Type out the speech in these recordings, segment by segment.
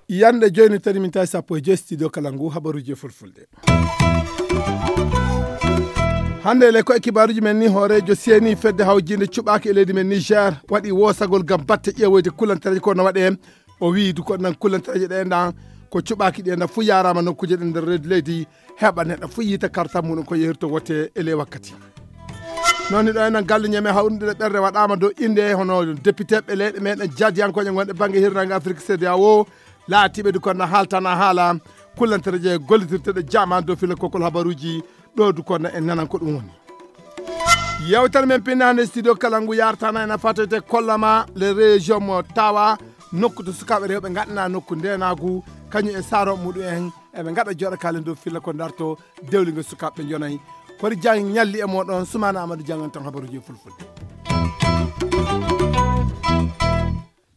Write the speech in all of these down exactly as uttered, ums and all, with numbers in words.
Yande jooni tari min tawi sappo e joyi studio kala ngu habaruuji e fulfulde. Hannde le ko e kibaaruuji men ni, hooreejo seeni fedde hawjiinde cuɓaaki e leydi men Niger waɗi woosagol ngam batte ƴeewoyde kullantareeje ko no waɗee. O wiyi du ko nan kullantareeje ɗe enɗan ko cuɓaaki ɗi enɗan fuu yaaraama nokkuuje ɗe nder reedu leydi, heɓa neɗɗo fuu yiita karta muɗum ko yehirto wote e ley wakkati. Noon ni ɗo enen galle ñeme hawrunde ɓerɗe waɗaama dow innde hono depiteeɓe leyɗe meɗen jaadiyankooje gonɗe bannge hirnaange Afrik C D A O, laatiiɓe du kono haaltana haala kullantareeje gollitirteɗe jaman dow fila kokol habaruuji. Ɗo du kono en nanan ko ɗum woni. Yewtere men pinnaande studio kala ngu yartana en a fatoyte kollama le région mo tawa nokku to sukaaɓe rewɓe ngaɗana nokku ndenaagu kañum e saro muɗum en eɓe ngaɗa joɗa kala dow filla ko darto dewligo sukaaɓe jonayi. Kori jang ñalli e moɗon sumana amadou jangan tan habaruji e fulfulde.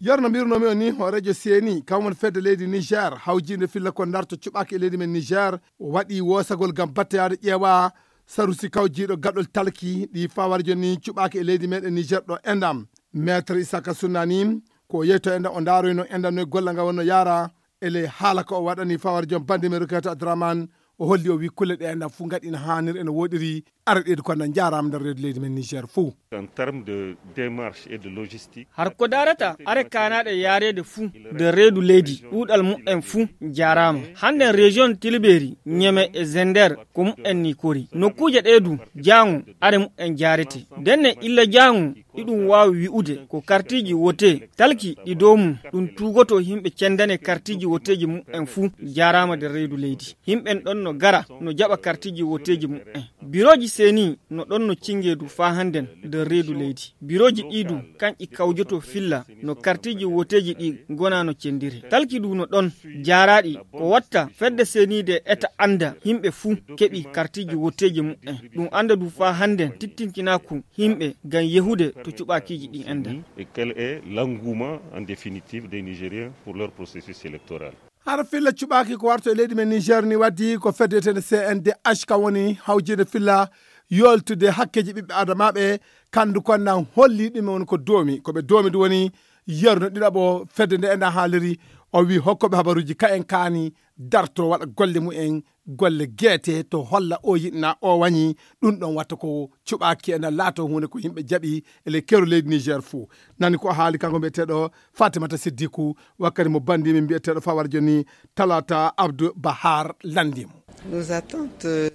Yer no mbirunoomi on ni hooreejo seeni kam woni fedde leydi niger hawjiinde filla ko darto cuɓaaki e leydi men niger o waɗi woosagol ngam battoyaade ƴeewa sarusi kawjiiɗo gaɗol talki ɗi fawarjo ni cuɓaaki e leydi meɗen niger ɗo endam. Maître isaka sunnani ko yeyto enɗam o ndaaroyno enɗam no e golla ngal wonno yaara. Ele haala ko o waɗani fawarjo bandi men roketa abdourahmane o holli o wi kulle ɗe enɗam fuu ngaɗi no haanir ene woɗiri. Ara ɗeedu ko na njaaraama nder reedu leydi men niger fuu. En terme de démarche et de logistique. Har ko darata are kaanaɗe yaareede fuu nder reedu leydi ɗuuɗal mumen fuu njaaraama. Hannden région tilberi ñeme e zender ko mumen ni kori nokkuuje ɗe du jaango are mumen jaarete. Ndenne illa jaango iɗum waawi wi'ude ko kartiiji wote talki ɗi dow mum ɗum tuugoto yimɓe cendane kartiiji woteeji mumen fuu njaaraama nder reedu leydi. Yimɓen ɗon no gara no jaɓa kartiiji woteeji mumen. Birooji seeni no ɗon no cingeedu faa hannden nder reedu leydi. Birooji ɗii du kanƴi kawjoto filla no kartiiji woteeji ɗi ngona no cendire talki du no ɗon jaaraaɗi ko watta fedde seeniide eta annda yimɓe fuu keɓi kartiiji woteeji mumen. Ɗum annda du faa hannden tittintinaaku yimɓe ngam yehude to cuɓaakiiji ɗin enɗan. Et quel est l'engouement en définitive des nigériens pour leur processus électoral? Hara filla cuɓaaki ko warto e leydi men niger ni waddi ko fedde wiyetende cndh kam woni hawjiinde filla yoltude hakkeeji ɓiɓɓe adamaaɓe. Kandu kon nan holli ɗum woni ko doomi ko ɓe doomi du woni yerno ɗiɗaɓo fedde nde enɗan haaliri. O wi hokkoɓe habaruuji ka en kaani darto waɗa golle mumen golle geete to holla o yiɗna o wañi. Ɗum ɗon watta ko cuɓaaki enɗan laato huunde ko yimɓe jaɓi e ley keru leydi niger fuu. Nani ko haali kanko mbiyeteeɗo fatimata siddiku wakkati mo bandi min mbiyeteeɗo fawar joni talata abdou bahar landimo.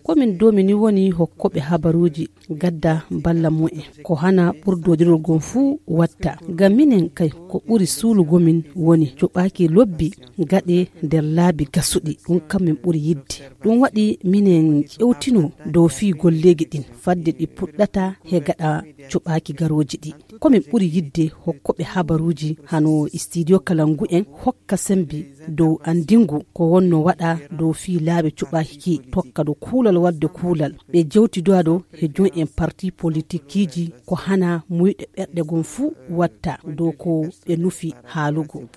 Komin domini woni hokkoɓe habaruuji gadda balla mumen ko hana ɓurdodirol gon fuu watta ngam minen kay ko ɓuri suulugo min woni cuɓaaki lobbi gaɗe nder laabi gasuɗi ɗum kam min ɓuri yidde. Ɗum waɗi minen ƴewtino dow fii golleegi ɗin fadde ɗi puɗɗata he gaɗa cuɓaaki garooji ɗi. Komin ɓuri yidde hokkoɓe habaruuji hano studio kalangu en hokka sembe dow andingu ko wonno waɗa dow fii laabi cuɓaaki ki tokka do kuulal wadde kuulal ɓe jewtidoado he join en parti politikiiji ko hana muyɗe ɓerɗe gon fuu watta dow ko ɓe nufi haalugo.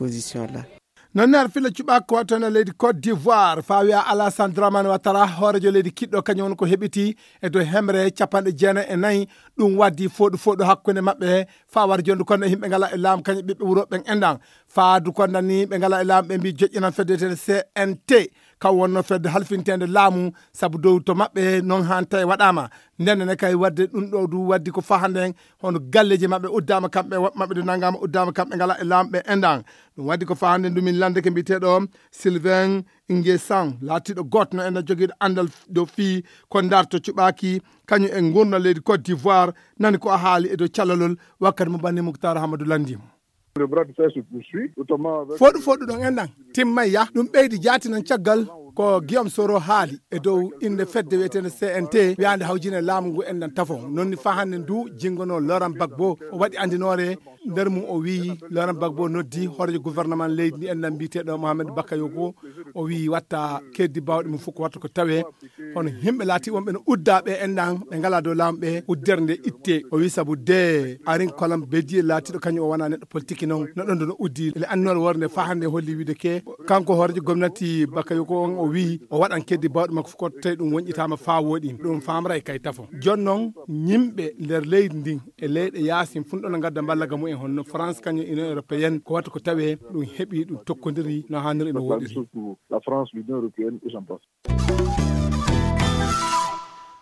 Noon ne ar filla cuɓaako ko wattana leydi côte d'ivoire faa wiya alassane dramane wattara hoorejo leydi kiɗɗo kañum woni ko heɓiti e dow hemre capanɗe jeenayi e nayi. Ɗum waddi fooɗu fooɗu hakkunde maɓɓe faa war jondu kono yimɓe ngala e laamu kañum ɓiɓɓe wuro ɓen enɗan faa du kono nan ni ɓe ngala e laamu ɓe mbi joƴƴinan fedde wiyetende cnt kam wonno fedde halfinteende laamu. Sabu dow to maɓɓe noon haan tawi waɗaama. Ndennene kay wadde ɗum ɗo du waddi ko faa hannde en hono galleeji maɓɓe uddaama kamɓe woɓɓe maɓɓe du nanngaama uddaama kamɓe ngala e laamu ɓe enɗan. Ɗum waddi ko faa hannde ndu min lanndeke mbiyeteeɗo sylvain ingesan laatiiɗo gooto no enɗan jogiiɗo anndal dow fii ko ndarto cuɓaaki kañum e ngurndan leydi côte d'ivoire. Nani ko a haali e dow callalol wakkati mo banni muktar hamadou lanndimo. Foɗu foɗu ɗon enɗan timmay yah ɗum ɓeydi jaati nan caggal ko guillaume soro haali e dow innde fedde wiyetende cnt wiyaande hawjine laamu ngu enɗan tafo. Noon ni faa hannde ndu jinngono laurent gbagbo o waɗi anndinoore nder mum o wiyi laurent gbagbo noddi hoorejo gouvernement leydi ndi enɗan mbiyeteeɗo mohamed bakayoko o wiyi watta keddi baawɗe mum fof ko watta ko tawe hono yimɓe laati wonɓe no udda ɓe enɗan ɓe ngala dow laamu ɓe uddere nde itte o wi sabu de arin kolam bediye laatiɗo kañum o wona neɗɗo politique noon no ɗon no uddi ele annore worde nde faa hannde holli wiide ke kanko hoorejo gomnati bakayoko on o Wi o waɗan keddi bawɗe makko fof, ko tawi ɗum wonƴitaama faa wooɗi, ɗum faamray kay tafo. Jooni noon, yimɓe nder leydi ndin e leyɗe yaasin fuu ɗon no ngadda mballaga mumen, honno France kañum Union Européenne, ko watta ko tawee ɗum heɓi, ɗum tokkondiri no haaniri, no wooɗiri. La France, l'Union Européenne et j'en passe.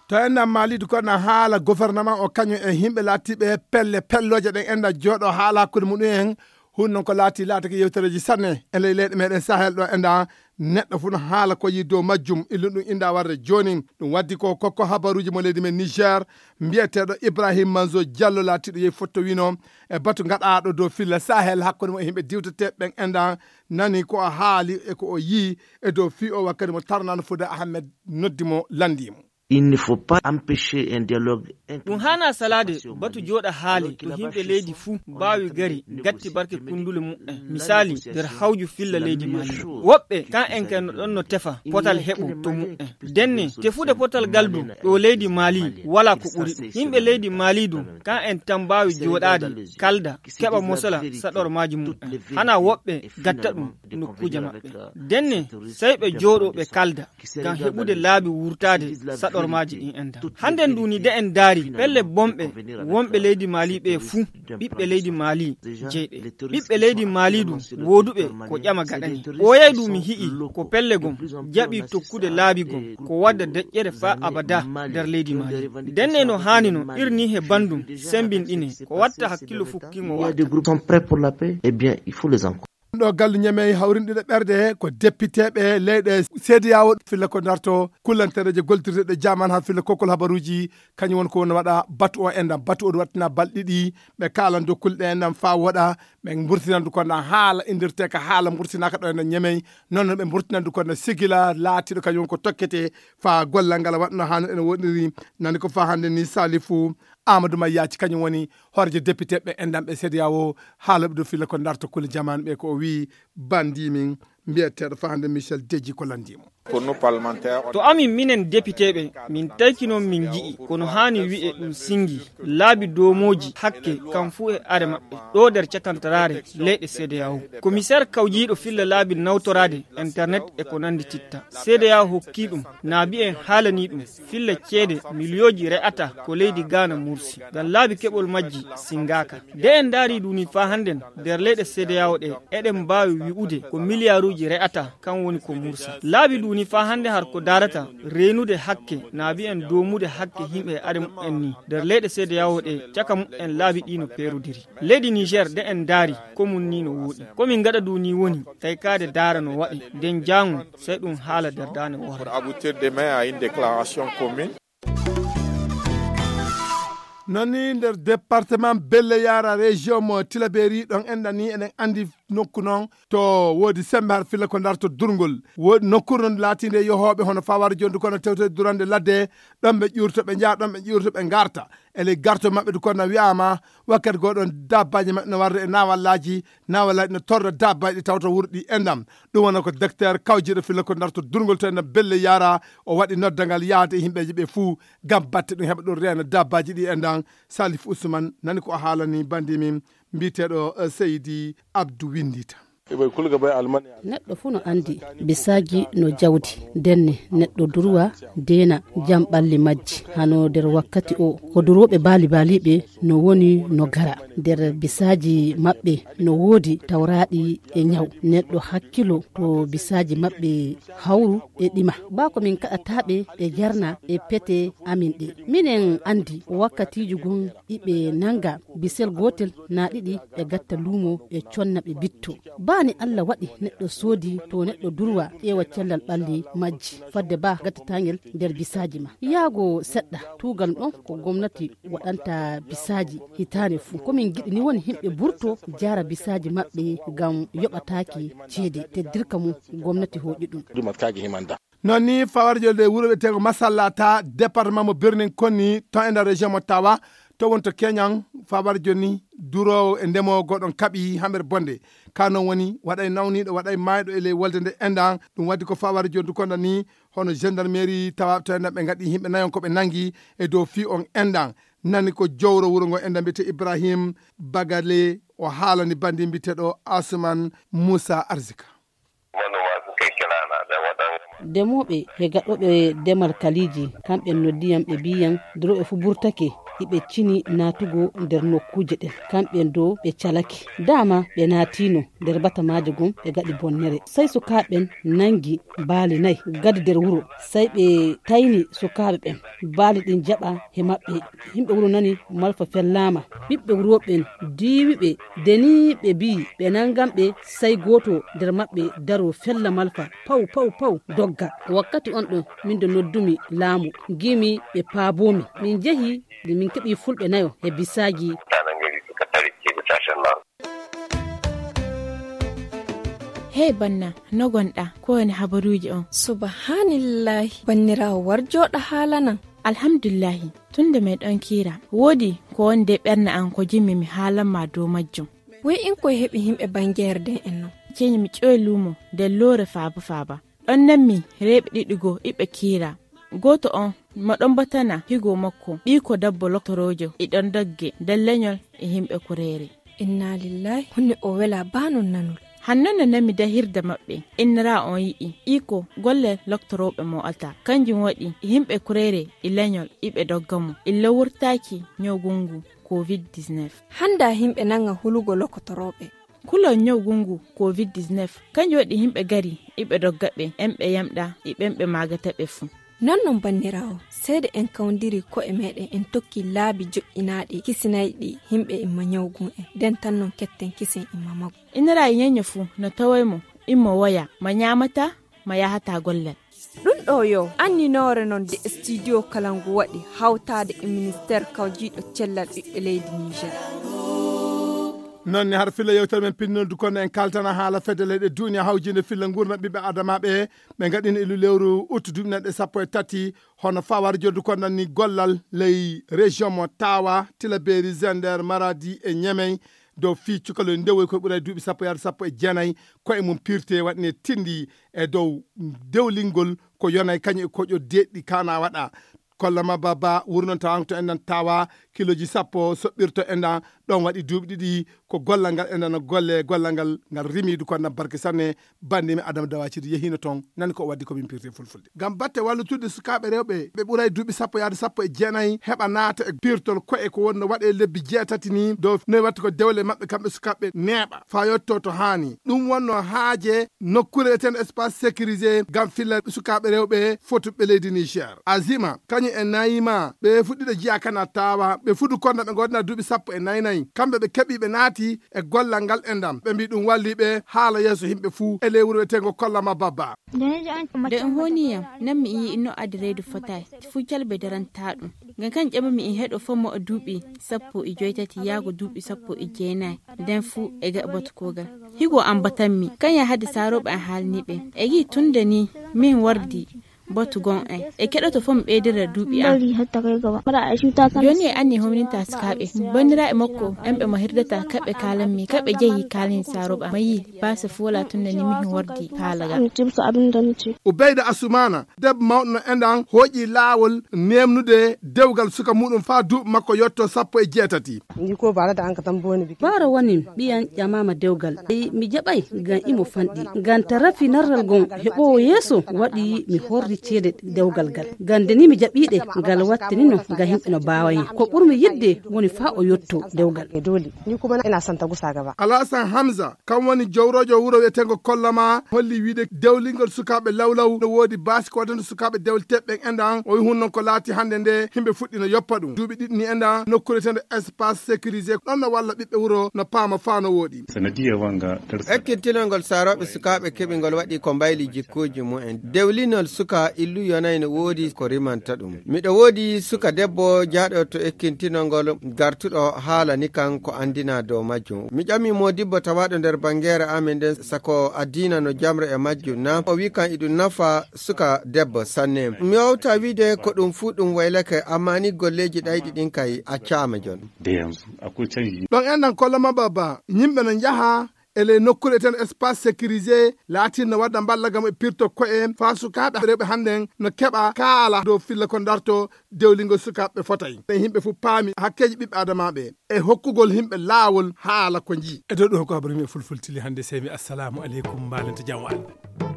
To enɗam Mali du, kono haala gouvernement o kañum e yimɓe laatiiɓe pelle pellooje ɗen enɗam jooɗo haala hakkunde mumen. Hun noon ko laati laatake yewtereeji sanne e ley leyɗe meɗen Sahel ɗo enɗam, neɗɗo fof no haala ko yi dow majjum, illu ɗum inda warde jooni. Ɗum waddi ko kokko habaruuji mo leydi men Niger, mbiyeteeɗo Ibrahim Manzo Diallo, laatiiɗo yehi fottowino e batu gaɗaaɗo dow filla Sahel hakkunde mo e yimɓe diwteteeɓe ɓen enɗam, nani ko o haali e ko o yii e dow fii o wakkati mo tarnano Fouda Ahmed noddi mo, lanndii mo. Il ne faut pas empêcher un dialogue. Ɗum haana salaade batu jooɗa haali to yimɓe leydi fuu mbaawi gari gatti barke kundule mumen. Misaali, nder hawju filla leydi Mali. Woɓɓe kan en kay no ɗon no tefa potal heɓo to mumen. Denne, tefude potal gal du ɗo leydi Mali wala ko ɓuri ɗum. Yimɓe leydi Mali du, kan en tan mbaawi jooɗaade, kalda, keɓa mosala saɗormaaji mumen. Hana woɓɓe gatta ɗum nokkuuje maɓɓe. Denne, sey ɓe jooɗo ɓe kalda ngam heɓude laabi wurtaade saɗormaaji ɗin enɗam. Hannden du ni de en ndaari pelle bonɓe wonɓe leydi Mali ɓe fuu, ɓiɓɓe leydi Mali jeyɓe. Ɓiɓɓe leydi Mali du wooduɓe ko ƴama gaɗani. Ɓooyay du mi hi'i ko pelle gom jaɓi tokkude laabi gom ko wadda deƴƴere faa abada nder leydi Mali. Denne no haani no irni he bandum sembinɗine ko watta hakkillo fukkingo. Il y a des groupes sont prêts pour la paix, eh bien, il faut les encourager. Ɗo gallu Ñamey hawrinɗiɗo ɓerde ko depiteeɓe leyɗe seediyawo filla ko darto kullantereeje gollitirteɗe jaman haa filla kokkol habaruuji, kañum woni ko woni waɗa batu o enɗam. Batu o waɗtina balɗe ɗiɗi, ɓe kaalan dow kulle ɗe enɗam faa woɗa, ɓe mburtinandu ko na haala indirteeka haala mburtinaaka ɗo enɗam Ñamey. Noon ɓe mburtinandu ko na sigila laatiiɗo kañum woni ko tokkete faa gollal ngal waɗno haano ene woɗiri. Nani ko faa hannde ni Salifu Amadou Mayyaci kañum woni hooreejo depiteeɓe enɗam ɓe seediyawo, haala ɓe dow filla ko darto kulle jaman ɓe ko o wii bandi min mbiyeteeɗo faa hannde Michel Deji ko lanndii mo. To amin minen depiteeɓe, min tayki noon min nji'i kono haani wi'e ɗum singi laabi doomooji hakke kam fuu e are maɓɓe ɗo nder cakantaraare leyɗe seediyawo. Komiseer kawjiiɗo filla laabi nawtoraade internet e ko nanndi titta seediyawo hokkii ɗum, naabi en haalanii ɗum filla ceede miliyooji re'ata ko leydi Gaana mursi ngam laabi keɓol majji singaaka. Nde en ndaari ɗum ni faa hannden nder leyɗe seediyawo ɗe, eɗen mbaawi wi'ude ko miliyaaruuji re'ata kan woni ko mursa. Laabi ɗum ni faa hannde har ko daarata reenude hakke naabi en doomude hakke yimɓe e are mumen ni nder leyɗe seediyawo ɗe, caka mumen laabi ɗi no peerodiri. Leydi Niger nde en ndaari ko mum ni no wooɗi. Ko min ngaɗa ɗum ni woni kaykaade daara no waɗi nden jaango sey ɗum haala nder daande woore. Pour aboutir demain à une déclaration commune. Noon ni nder département Belle Yara, région mo Tilaberi, ɗon enɗan ni eɗen anndi nokku noon to woodi sembe har filla ko darto durngol. Woodi nokkuure noon laatiinde e yohooɓe hono fawar jondu kono tewte durande ladde, ɗon ɓe ƴuurto ɓe njaha, ɗon ɓe ƴuurto ɓe ngarta. E ley garto maɓɓe du kono wi'aama wakkati goo ɗon dabbaaji maɓɓe no warde e naawallaaji, naawallaaji no torra dabbaaji ɗi tawta wuro ɗi enɗam. Ɗum wona ko docteur kawjiiɗo filla ko darto durngol to enɗam Belle Yara, o waɗi noddangal yahde e yimɓeeji ɓe fuu ngam batte ɗum heɓa ɗum reena dabbaaji ɗi enɗam. Salif Ousmane nani ko o haalani bandi min mbiyeteeɗo, eh, Seydi Abdou Winndita. Neɗɗo fuu no anndi bisaaji no jawdi, ndenne neɗɗo durwa deena jam ɓalli majji. Hano nder wakkati o, ko durwooɓe baali baaliiɓe no woni no gara. Nder bisaaji maɓɓe no woodi tawraaɗi e ñaw. Neɗɗo hakkilo to bisaaji maɓɓe hawru e ɗima. Baa ko min kaɗataaɓe e jarna e pete amin ɗe. Minen anndi wakkatiiji gon iɓe nannga bisel gootel naa ɗiɗi ɓe gatta luumo ɓe conna ɓe bitto. Baa ni Alla waɗi neɗɗo soodi to neɗɗo durwa ƴeewa cellal ɓalli majji. Fadde baa gattataangel nder bisaaji ma. Yaago seɗɗa tuugal ɗon ko gomnati waɗanta bisaaji hitaande fuu. Ko min ngiɗi ni woni yimɓe burto jaara bisaaji maɓɓe ngam yoɓataaki ceede teddirka mum gomnati hooƴi ɗum. Noon ni fawar jolde wuro wiyeteego Masallata, département mo Birnin Konni, ton e nder région mo Tawa, to woni to Keñan, fawar joni duroowo e ndemoowo goɗon kaɓi hamere bonde. Ka noon woni waɗay nawniiɗo, waɗay maayɗo e ley wolde nde enɗan. Ɗum waddi ko fawar joni du kono ni hono gendarmerie Tawa to enɗan ɓe ngaɗi yimɓe nayon ko ɓe nangi e dow fii on enɗan. Nani ko jowro wuro ngo enɗan mbiyetee Ibrahim Bagale, o haalani bandi mbiyeteeɗo Asuman Musa Arzika. Manoma suka yi kira na da waɗan. Demooɓe he gaɗooɓe demal kaliiji, kamɓe noddiyam ɓe mbiyam durooɓe fuu burtake, hiɓe cini naatugo nder nokkuuje ɗen. Kamɓe dow ɓe calake. Dama ɓe naatino nder batamaajo gom ɓe gaɗi bonnere. Sey sukaaɓe ɓen nangi baali nayi gadi nder wuro. Sey ɓe tayni sukaaɓe ɓen. Baali ɗin jaɓa he maɓɓe. Himɓe wuro nani malfa fellaama. Ɓiɓɓe wuro ɓen diiwi ɓe, deni ɓe mbi'i ɓe nangan ɓe, sey gooto nder maɓɓe daro fella malfa. Paw, paw, paw, dogga. Wakkati on ɗon, min do noddumi laamu, ngimi ɓe paaboomi. Min jehi, min keɓi fulɓe nayo he bisaaji. Hey banna, no gonɗa? Ko woni habaruuji on? Subhaanallaahi, banniraawo, war jooɗa haalanan. Alhamdulillahi, tun nde meɗon kiira, woodi ko woni nder ɓernde an ko jimmi mi haalan ma dow majjum. Woy in koy heɓi himɓe bangeere den en non? Ceeni mi ƴoy luumo nder loore faaba faaba. Ɗon nanmi reeɓe ɗiɗi goo iɓe kiira. Gooto on mo ɗon batana higo makko, ɓiiko debbo loktoroojo, e ɗon dogge nder lenyol e himɓe kureere. Inna lillahi, honno o wela baa non nanol? Hanno no nanmi dahirde maɓɓe, innira on yi'i ɓiiko golle loktorooɓe mo alta. Kanjum waɗi e himɓe kureere e lenyol iɓe dogga mo. Illa wurtaaki nyawgu ngu covid dix-neuf. Handa himɓe nanga hulugo loktorooɓe. Kulol nyawgu ngu covid dix-neuf, kanjum waɗi himɓe gari iɓe dogga ɓe, en ɓe yamɗa e ɓen ɓe maagata ɓe fuu. Non non banniraawo, seede en kawndiri ko'e meɗen en tokki laabi joƴƴinaaɗi kisinayɗi himɓe imma nyawgu en. Den tan non ketten kisen imma magu. Innira e nyenye fuu no taway mo, immo woya, ma nyaamata, ma yahata gollal. Ɗum ɗo yo anninoore non de studio kala ngu waɗi hawtaade e ministère kawjiiɗo cellal ɓiɓɓe leydi Niger. Noon ne har filla yewtere men pinnodu kono en kaltana haala fedde leyɗe duniya hawjinde filla ngurndan ɓiɓɓe adamaaɓe ɓe ngaɗini ilu lewru ut duuɓi nanɗe sappo e tati, hono fawar joddu ko nanni gollal ley région mo Tawa, Tilaberi, Zender, Maradi e Niamey, dow fii cukalel ndewoy ko ɓuray duuɓi sappo yaade sappo e jeenay, koye mum pirte waɗne tindi e dow dewlingol ko yonay kañum e koƴo deeɗɗi kana waɗa. Kolla ma baba wurnon tawanko to enɗan tawa kiloji sappo soɓɓirto enɗan ɗon waɗi duuɓi ɗiɗi ko gollal ngal enɗan no golle gollal ngal ngal rimidu ko enɗan barke sanne. Bandimi Adama Dawaciri yehino toon nani ko o waddi ko min pirte fulfulde ngam batte wallutude sukaaɓe rewɓe ɓe ɓuray duuɓi sappo yaade sappo e jeenayi heɓa naata e pirtol koye ko wonno waɗe lebbi jeetati ni dow noy watta ko dewle maɓɓe kamɓe sukaaɓe neeɓa fa yetto to haani. Ɗum wonno haaje nokkuure etende espace sécurisé ngam filla sukaaɓe rewɓe fotuɓe leydi Niger. Azima kañum e Nayima ɓe fuɗɗiɗo jiya kana tawa ɓe fudu konda ɓe godna duuɓi sappo e nayi nayi kamɓe ɓe keɓi ɓe naati e gollal ngal e ndam ɓe mbi ɗum walli ɓe haala yeeso himɓe fuu e ley wuro wiyeteengo Kollama Babba. Nde on honiyam nan mi yi'i no addi reedu fotaay fuu calbe darantaa ɗum. Ngam kan ƴamami e heɗo fof mo duuɓi sappo e joytati yaago duuɓi sappo e jeenayi nden fuu e gaɓa batu kogal. Higo am batanmi kan ya hadde saarooɓe am haalni ɓe e gi tunde ni min wardi batu gon en e keɗoto fof mi ɓeydira duuɓi am. Jooni e anni homninta sukaaɓe banniraaɓe makko en ɓe mo hirdata kaɓɓe kaalanmi kaɓɓe jehi kaalani saarooɓe am ma yii baasa fuu wala tunde ni min wardi haalagal. Ubayda Asumana debbo mawɗo no enɗan hooƴi laawol neemnude dewgal suka muɗum faa duuɓi makko yotto sappo e jeetati. Baaro woni ɓiyan ƴamaama dewgal mi jaɓay ngam imo fanɗi ngam tarafi narral gon heɓoowo yeeso waɗi mi horri ceede dewgal gal ngam nde ni mi jaɓiɗe ngal wattinino ngam himɓe no baawayen ko ɓurmi yidde woni faa o yotto dewgal. Alasan Hamza kam woni jowrojo wuro wiyetengo Kollama holli wiide dewlingol sukaaɓe lawlaw no woodi baasi ko waɗande sukaaɓe dewliteɓe ɓen enɗan o wi hun non ko laati hannde nde himɓe fuɗɗino yoppa ɗum duuɓi ɗiɗi ni enɗan nokkuure tende espace sécurisé ɗon no walla ɓiɓɓe wuro no paama faa no wooɗi. Ekkintinol ngol saarooɓe sukaaɓe keɓi ngol waɗi ko mbayli jikkuuji mumen dewlinol suka illu yonay no woodi ko rimanta ɗum miɗo woodi suka debbo jaaɗo to ekkintinol ngol gartuɗo haalani kan ko anndina dow majjum mi ƴami moodibbo tawaaɗo nder banngeere amin nden sako addiina no jamre e majjum na o wi kan iɗum nafa suka debbo sanne mi wawta wiide ko ɗum fuu ɗum waylake amma ni golleeji ɗayɗi ɗin kay accaama jon. Ɗon enɗan Kollama Babba yimɓe no njaha e ley nokkuure eten espace sécurisé laatinno wadda mballa gam e pirto ko'e faa sukaaɓe rewɓe hannden no keɓa kaala dow filla ko darto dewlingol sukaaɓe fotay ɓe yimɓe fof paami hakkeeji ɓiɓɓe adamaaɓe e hokkugol yimɓe laawol haala ko njii. E dow ɗum ko habaru mi e fulfultili hannde sey mi assalamu aleykum mbaalente jam o Allah.